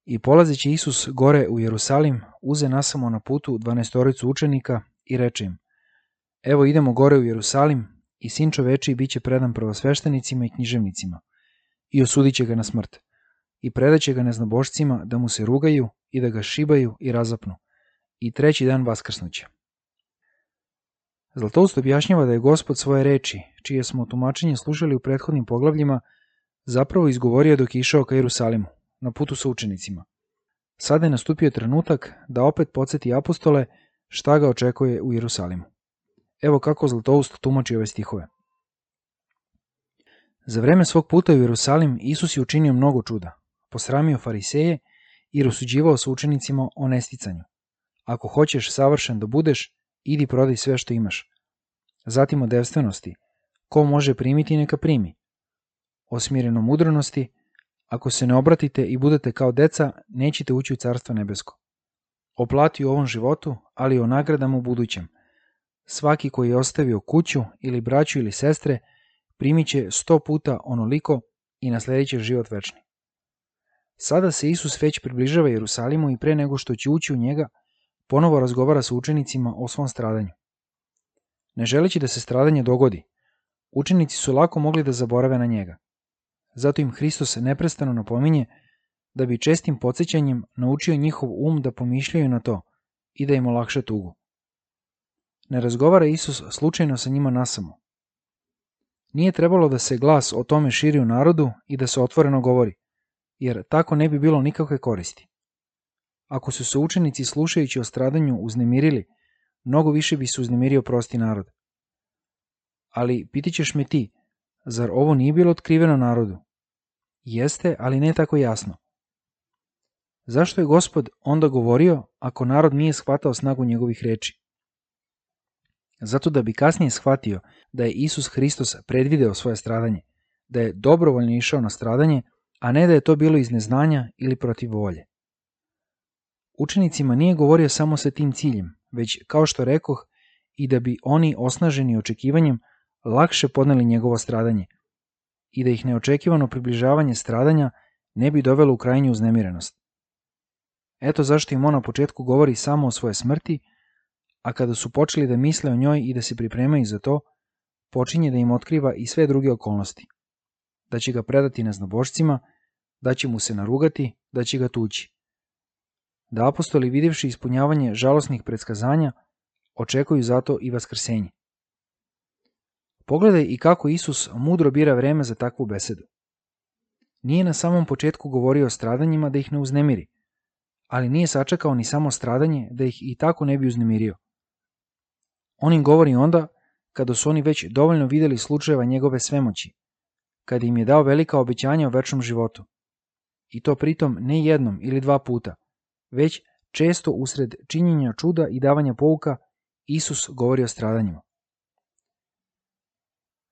I polazeći Isus gore u Jerusalim, uze nasamo na putu 12 učenika i reče im: Evo idemo gore u Jerusalim i Sin čovečiji bit će predan prvosveštenicima i književnicima i osudit će ga na smrt i predaće ga neznabošcima da mu se rugaju i da ga šibaju i razapnu i treći dan vaskrsnuće. Zlatoust objašnjava da je Gospod svoje reči, čije smo tumačenje slušali u prethodnim poglavljima, zapravo izgovorio dok je išao ka Jerusalimu, na putu sa učenicima. Sada je nastupio trenutak da opet podsjeti apostole šta ga očekuje u Jerusalimu. Evo kako Zlatoust tumači ove stihove. Za vreme svog puta u Jerusalim Isus je učinio mnogo čuda, posramio fariseje i rasuđivao sa učenicima o nesticanju. Ako hoćeš savršen da budeš, idi prodaj sve što imaš. Zatim o devstvenosti, ko može primiti neka primi. O smirenomudrenosti, ako se ne obratite i budete kao deca, nećete ući u carstvo nebesko. O plati u ovom životu, ali o nagradama u budućem. Svaki koji je ostavio kuću ili braću ili sestre, primit će 100 puta onoliko i nasledit će život večni. Sada se Isus već približava Jerusalimu i pre nego što će ući u njega, ponovo razgovara sa učenicima o svom stradanju. Ne želeći da se stradanje dogodi, učenici su lako mogli da zaborave na njega. Zato im Hristos neprestano napominje da bi čestim podsjećanjem naučio njihov da pomišljaju na to i da im olakša tugu. Ne razgovara Isus slučajno sa njima nasamo. Nije trebalo da se glas o tome širi u narodu i da se otvoreno govori, jer tako ne bi bilo nikakve koristi. Ako su se učenici slušajući o stradanju uznemirili, mnogo više bi se uznemirio prosti narod. Ali pitaćeš me ti, zar ovo nije bilo otkriveno narodu? Jeste, ali ne tako jasno. Zašto je Gospod onda govorio ako narod nije shvatao snagu njegovih reči? Zato da bi kasnije shvatio da je Isus Hristos predvideo svoje stradanje, da je dobrovoljno išao na stradanje, a ne da je to bilo iz neznanja ili protiv volje. Učenicima nije govorio samo sa tim ciljem, već, kao što rekoh, i da bi oni osnaženi očekivanjem lakše podneli njegovo stradanje i da ih neočekivano približavanje stradanja ne bi dovelo u krajnju uznemirenost. Eto zašto im on na početku govori samo o svoje smrti, a kada su počeli da misle o njoj i da se pripremaju za to, počinje da im otkriva i sve druge okolnosti. Da će ga predati neznabošcima, da će mu se narugati, da će ga tući. Da apostoli, vidjevši ispunjavanje žalosnih predskazanja, očekuju zato i vaskrsenje. Pogledaj i kako Isus mudro bira vreme za takvu besedu. Nije na samom početku govorio o stradanjima da ih ne uznemiri, ali nije sačekao ni samo stradanje da ih i tako ne bi uznemirio. On im govori onda kada su oni već dovoljno vidjeli slučajeva njegove svemoći, kada im je dao velika obećanja o večnom životu. I to pritom ne jednom ili 2 puta, već često usred činjenja čuda i davanja pouka Isus govori o stradanjima.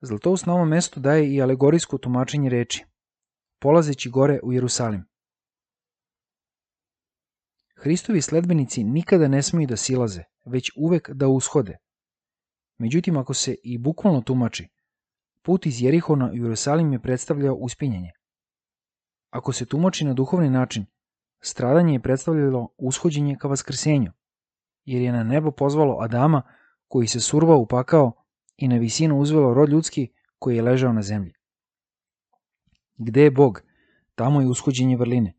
Zlatoust na ovom mestu daje i alegorijsko tumačenje reči, polazeći gore u Jerusalim. Hristovi sledbenici nikada ne smiju da silaze, već uvek da ushode. Međutim, ako se i bukvalno tumači, put iz Jerihona u Jerusalim je predstavljao uspinjanje. Ako se tumači na duhovni način, stradanje je predstavljalo ushođenje ka vaskrsenju, jer je na nebo pozvalo Adama koji se survao u pakao i na visinu uzvelo rod ljudski koji je ležao na zemlji. Gde je Bog, tamo je ushođenje vrline,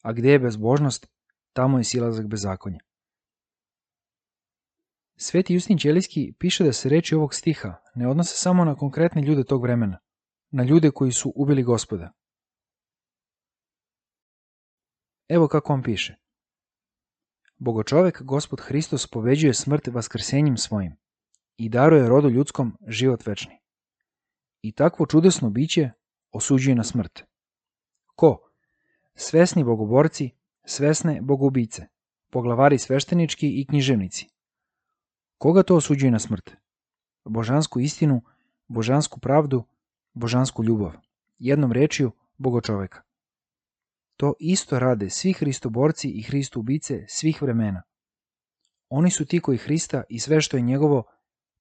a gde je bezbožnost, tamo je silazak bezakonja. Sveti Justin Ćelijski piše da se reči ovog stiha ne odnose samo na konkretne ljude tog vremena, na ljude koji su ubili Gospoda. Evo kako on piše. Bogočovek Gospod Hristos pobeđuje smrt vaskrsenjem svojim i daruje rodu ljudskom život večni. I takvo čudesno biće osuđuje na smrt. Ko? Svesni bogoborci, svesne bogoubice, poglavari sveštenički i književnici. Koga to osuđuje na smrt? Božansku istinu, božansku pravdu, božansku ljubav. Jednom rečju, bogočoveka. To isto rade svi hristoborci i hristoubice svih vremena. Oni su ti koji Hrista i sve što je njegovo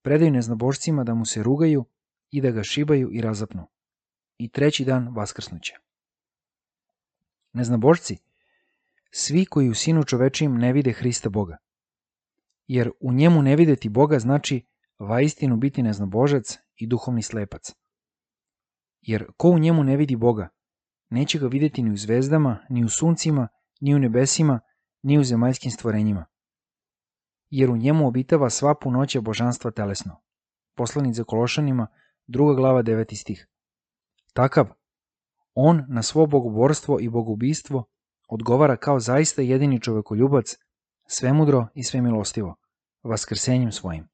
predaju neznabošcima da mu se rugaju i da ga šibaju i razapnu. I treći dan vaskrsnuće. Neznabošci, svi koji u Sinu čovečijem ne vide Hrista Boga. Jer u njemu ne videti Boga znači vaistinu biti neznabožac i duhovni slepac. Jer ko u njemu ne vidi Boga, neće ga videti ni u zvezdama, ni u suncima, ni u nebesima, ni u zemaljskim stvorenjima. Jer u njemu obitava sva punoća božanstva telesno. Poslanica Kološanima, 2. glava, 9. stih. Takav, on na svo bogoborstvo i bogoubistvo odgovara kao zaista jedini čovekoljubac, svemudro i svemilostivo, vaskrsenjem svojim.